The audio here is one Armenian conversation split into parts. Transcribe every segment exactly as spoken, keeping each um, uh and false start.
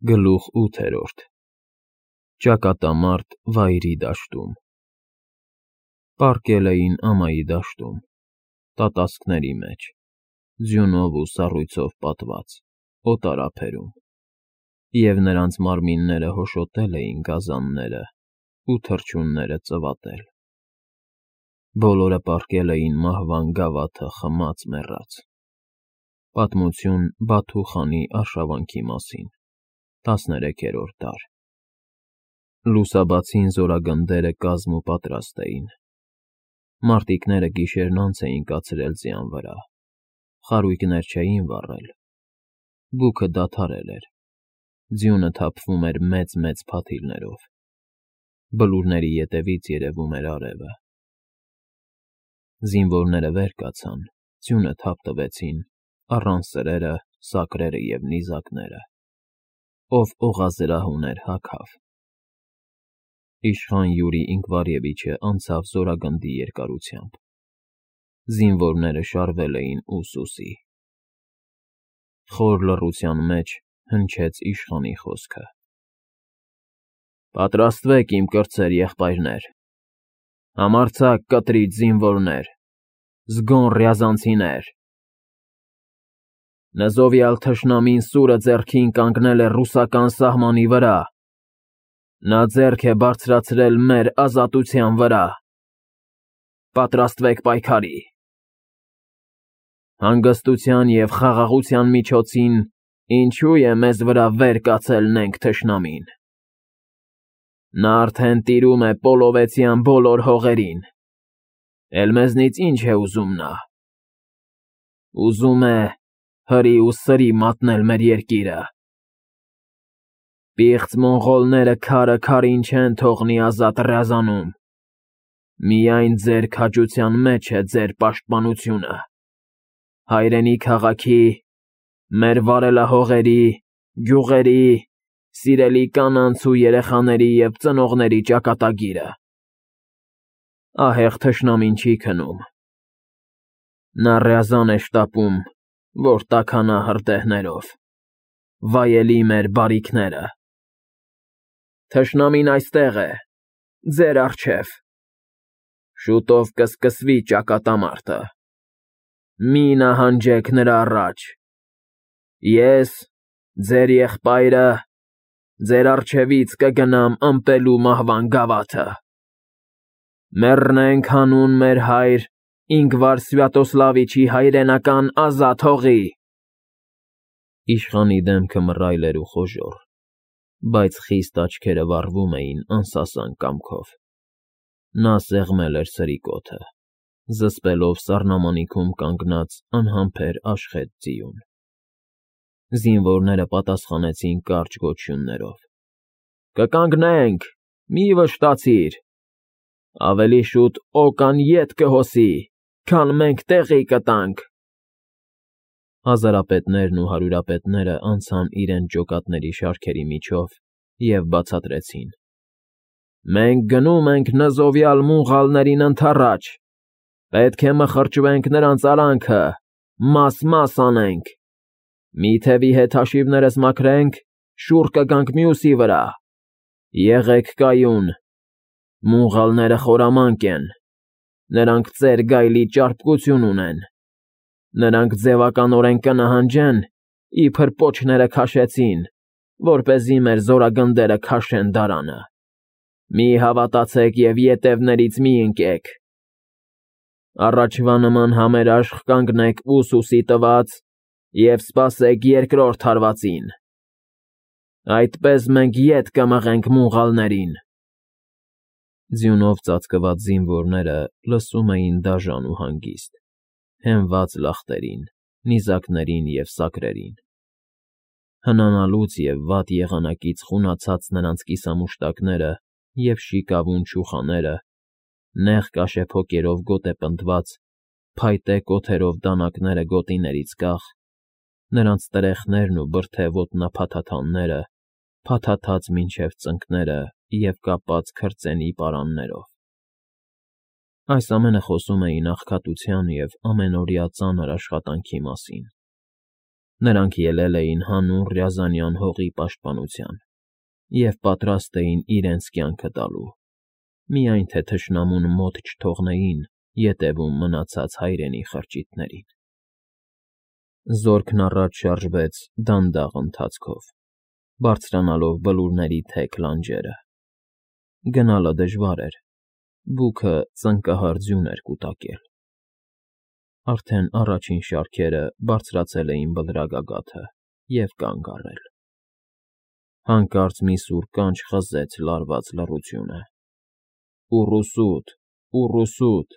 Գլուխ ութերորդ Ճակատամարտ վայրի դաշտում Պառկել էին ամայի դաշտում, տատասկների մեջ, ձյունով ու սառույցով պատված, օտարափերում, և նրանց մարմինները հոշոտել էին գազանները ու թռչունները ծվատել. բոլորը պառկել էին մահվան գավաթը խմած֊մեռած. պատմություն Բաթու խանի արշավանքի մասին, տասներեքերորդ դար Լուսաբացին զորագնդերը կազմ ու պատրաստ էին, մարտիկները գիշերն անց էին կացրել ձյան վրա, խարույկներ չէին վառել, բուքը դադարել էր, ձյունը թափվում էր մեծ֊մեծ փաթիլներով, բլուրների ետևից երևում էր արևը: Զինվորները վեր կացան, ձյունը թափ տվեցին, առան սրերը, սակրերը և նիզակները: Ով օղազրահ ուներ, հագավ: Իշխան Յուրի Ինկվարևիչը անցավ զորագնդի երկարությամբ: Զինվորները շարվել էին ուսուսի: Խոր լռության մեջ հնչեց իշխանի խոսքը. Պատրաստվեք, իմ կրտսեր եղբայրներ, համարձակ կտրիչ զինվորներ, զգոն ռյազանցիներ: Նզովյալ թշնամին սուրը ձեռքին կանգնել է ռուսական սահմանի վրա, նա ձեռք է բարձրացրել մեր ազատության վրա: Պատրաստվեք պայքարի: Հանգստության և խաղաղության միջոցին ինչո՞ւ է մեզ վրա վեր կացել նենգ թշնամին: Նա արդեն տիրում է Պոլովեցյան բոլոր հողերին, էլ մեզնից ի՞նչ է ուզում նա: Ուզում է հրի ու սրի մատնել մեր երկիրը: Պիղծ մոնղոլները քարը քարին չեն թողնի ազատ Ռյազանում, միայն ձեր քաջության մեջ է ձեր պաշտպանությունը: Հայրենի քաղաքի, մեր վարելահողերի, գյուղերի, սիրելի կանանց ու երեխաների և ծնողների ճակատագիրը: Ահեղ թշնամին չի քնում: Նա Ռյազան է շտապում, որ տաքանա հրդեհներով, վայելի մեր բարիքները: Թշնամին այստեղ է, ձեր առջև: Շուտով կսկսվի ճակատամարտը: Մի նահանջեք նրա առաջ: Ես, ձեր եղբայրը, ձեր առջևից կգնամ ըմպելու մահվան գավաթը: Մեռնենք հանուն մեր հայր Ինգվար Սվյատոսլավիչի հայրենական ազատ հողի: Իշխանի դեմքը մռայլ էր ու խոժոռ, բայց խիստ աչքերը վառվում էին անսասան կամքով: Նա սեղմել էր սրիկոթը, զսպելով սառնամանիքում կանգնած անհամբեր աշխեծ ձիուն: Զինվորները պատասխանեցին կարճ գոչյուններով. Կկանգնենք, մի վշտացիր: Ավելի շուտ օկան ետ կհոսի, քան մենք տեղի կտանք: Հազարապետներն ու հարյուրապետները անցան իրենց ջոկատների շարքերի միջով և բացատրեցին. Մենք գնում ենք նզովյալ մոնղոլներին ընդառաջ, պետք է մխրճվենք նրանց արանքը, մաս֊մաս անենք: Մի թևի հետ հաշիվներս մաքրենք, շուռ կգանք մյուսի վրա: Եղեք կայուն: Մոնղոլները խորամանկ են, նրանք ծեր գայլի ճարպկություն ունեն: Նրանք ձևականորեն կնահանջեն, իբր պոչները քաշեցին, որպեսզի մեր զորագնդերը քաշեն դարանը: Մի հավատացեք և ետևներից մի ընկեք: Առաջվա նման համերաշխ կանգնեք ուսուսի տված և սպասեք երկրորդ հարվածին: Այդպես մենք ետ կմղենք մոնղոլներին: Ձյունով ծածկված զինվորները լսում էին դաժան ու հանգիստ, հենված լախտերին, նիզակներին և սակրերին: Հնանալուց և վատ եղանակից խունացած նրանց կիսամուշտակները և շիկավուն չուխաները, նեղ կաշեփոկերով գոտեպնդված, փայտե կոթերով դանակները գոտիներից կախ, նրանց տրեխներն ու բրդե ոտնափաթաթանները փաթաթած մինչև ծնկները և կապած քրծենի պարաններով: Այս ամենը խոսում էին աղքատության և ամենօրյա ծանր աշխատանքի մասին: Նրանք ելել էին հանուն Ռյազանյան հողի պաշտպանության և պատրաստ էին իրենց կյանքը տալու, միայն թե թշնամուն մոտ չթողնեին ետևում մնացած հայրենի խրճիթներին։ Զորքն առաջ շարժվեց դանդաղ ընթացքով, բարձրանալով բլուրների թեք լանջերը։ Գնալը դժվար էր, բուքը ծնկահար ձյուն էր կուտակել։ Արդեն առաջին շարքերը բարձրացել էին բլրագագաթը և կանգ առել։ Հանկարծ մի սուր կանչ խզեց լարված լռությունը. «Ուռուսուտ, ուռուսուտ»։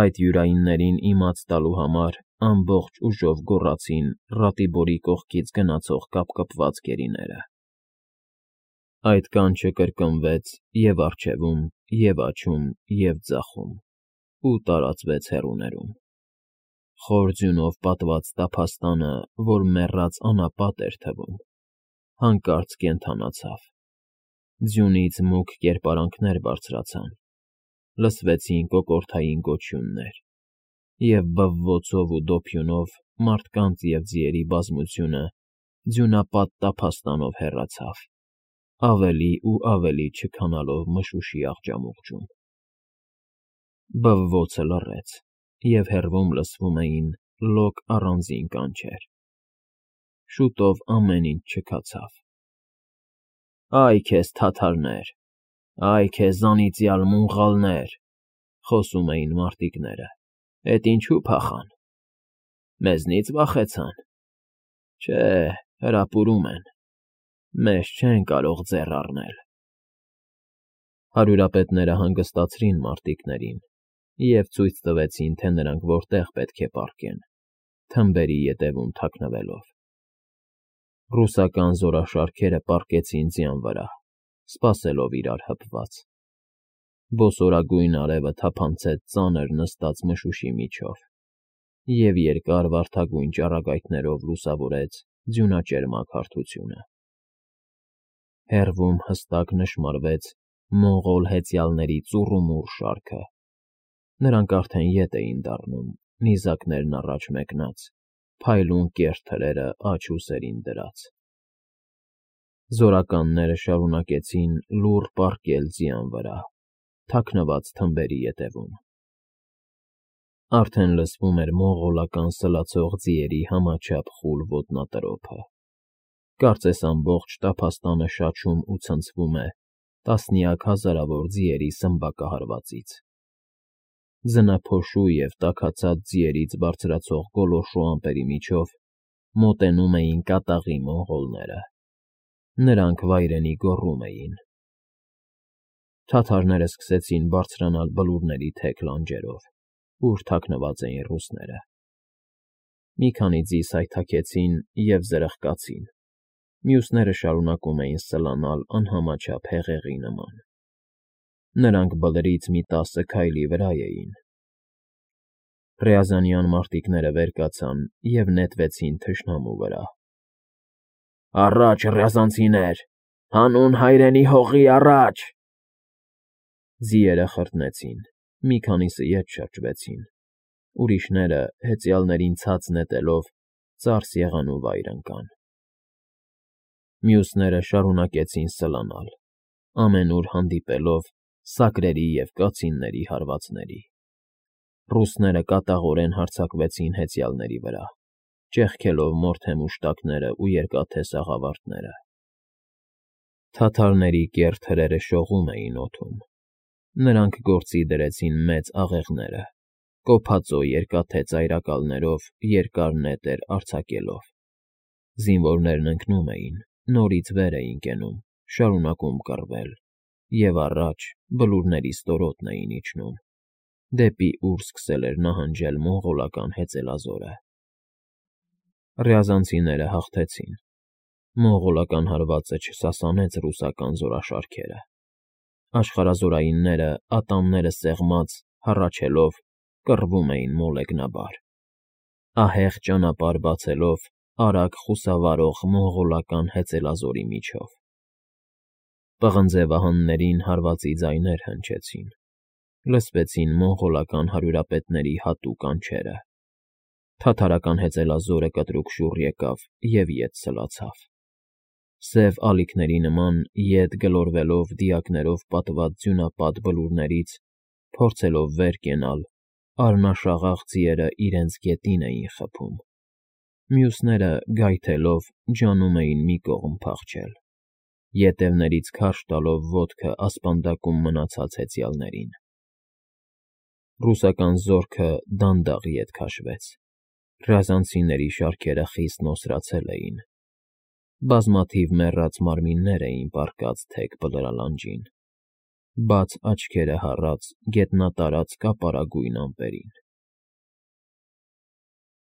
Այդ յուրայիններին իմաց տալու համար ամբողջ ուժով գոռացին Ռատիբորի կողքից գնացող կապկպված գերիները։ Այդ կանչը կրկնվեց և՛ առջևում, և՛ աջում, և՛ ձախում ու տարածվեց հեռուներում։ Խոր ձյունով պատված տափաստանը, որ մեռած անապատ էր թվում, հանկարծ կենդանացավ։ Ձյունից մուգ կերպարանքներ բարձրացան, լսվեցին կոկորդային գոչյուններ, և բվոցով ու դոփյունով մարդկանց և ձիերի բազմությունը ձյունապատ տափաստանով հեռացավ, ավելի ու ավելի չքանալով մշուշի աղջամուղջում։ Բվոցը լռեց, և հեռվում լսվում էին լոկ առանձին կանչեր։ Շուտով ամեն ինչ չքացավ։ «Այ քեզ, թաթարներ, այ քեզ անիծյալ մունղալներ», խոսում էին մարտիկները, «էդ ինչու փախան։ Մեզնի՞ց վախեցան։ Չէ, հրապուրում են, մեզ չեն կարող ձեռ առնել»։ Հարյուրապետները հանգստացրին մարտիկներին և ցույց տվեցին, թե նրանք որտեղ պետք է պառկեն՝ թմբերի ետևում թաքնվելով։ Ռուսական զորաշարքերը պառկեցին ձյան վրա, սպասելով իրար հպված։ Բոսորագույն արևը թափանցեց ծանր նստած մշուշի միջով և երկար վարդագույն ճառագայթներով լուսավորեց ձյունաճերմակ հարթությունը։ Հեռվում հստակ նշմարվեց մոնղոլ հեծյալների ծուռումուռ շարքը։ Նրանք արդեն ետ էին դառնում, նիզակներն առաջ մեկնած, փայլուն կեռ թրերը աջ ուսերին դրած։ Զորականները շարունակեցին լուռ պառկել ձյան վրա, թաքնված թմբերի ետևում։ Արդեն լսվում էր մոնղոլական սլացող ձիերի համաչափ խուլ ոտնատրոփը։ Կարծես ամբողջ տափաստանը շաչում ու ցնցվում է տասնյակ հազարավոր ձիերի սմբակահարվածից։ Ձնափոշու և տաքացած ձիերից բարձրացող գոլորշու ամպերի միջով մոտենում էին կատաղի մոնղոլները։ Նրանք վայրենի գոռում էին։ Թաթարները սկսեցին բարձրանալ բլուրների թեք լանջերով, ուր թաքնված էին ռուսները։ Մի քանի ձի սայթաքեցին և զրխկացին, մյուսները շարունակում էին սլանալ անհամաչափ հեղեղի նման։ Նրանք բլրից մի տասը քայլի վրա էին։ Ռյազանյան մարտիկները վեր կացան և նետվեցին թշնամու վրա։ «Առաջ, ռյազանցիներ, հանուն հայրենի հողի, առաջ»։ Ձիերը խրտնեցին, մի քանիսը ետ շրջվեցին, ուրիշները, հեծյալներին ցած նետելով, ծարս եղան ու վայր ընկան։ Մյուսները շարունակեցին սլանալ, ամենուր հանդիպելով սակրերի և կացինների հարվածների։ Ռուսները կատաղորեն հարձակվեցին հեծյալների վրա, ճեղքելով մորթե մուշտակները ու երկաթե սաղավարտները։ Թաթարների կեռ թրերը շողում էին օդում։ Նրանք գործի դրեցին մեծ աղեղները, կոփածո երկաթե ծայրակալներով երկար նետեր արձակելով։ Զինվորներն ընկնում էին, նորից վեր էին կենում, շարունակում կռվել և առաջ բլուրների ստորոտն էին իջնում, դեպի ուր սկսել էր նահանջել մոնղոլական հեծելազորը։ Ռյազանցիները հաղթեցին։ Մոնղոլական հարվածը չսասանեց ռուսական զորաշարքերը։ Աշխարհազորայինները, ատամները սեղմած, հառաչելով, կռվում էին մոլեգնաբար, ահեղ ճանապարհ բացելով արագ խուսավարող մոնղոլական հեծելազորի միջով։ Պղնձե վահաններին հարվածի ձայներ հնչեցին, լսվեցին մոնղոլական հարյուրապետների հատուկ կանչերը։ Թաթարական հեծելազորը կտրուկ շուռ եկավ և ետ սլացավ։ Սև ալիքների նման ետ գլորվելով դիակներով պատված ձյունապատ բլուրներից, փորձելով վեր կենալ, արյունաշաղախ ձիերը իրենց գետին էին խփում, մյուսները, գայթելով, ջանում էին մի կողմ փախչել, ետևներից քարշ տալով ոտքը ասպանդակում մնացած հեծյալներին։ Ռուսական զորքը դանդաղ ետ քաշվեց, ռազանցիների շարքերը խիստ նոսրացել էին, բազմաթիվ մեռած մարմիններ էին պառկած թեք բլրալանջին, բաց աչքերը հառած գետնատարած կապարագույն ամպերին։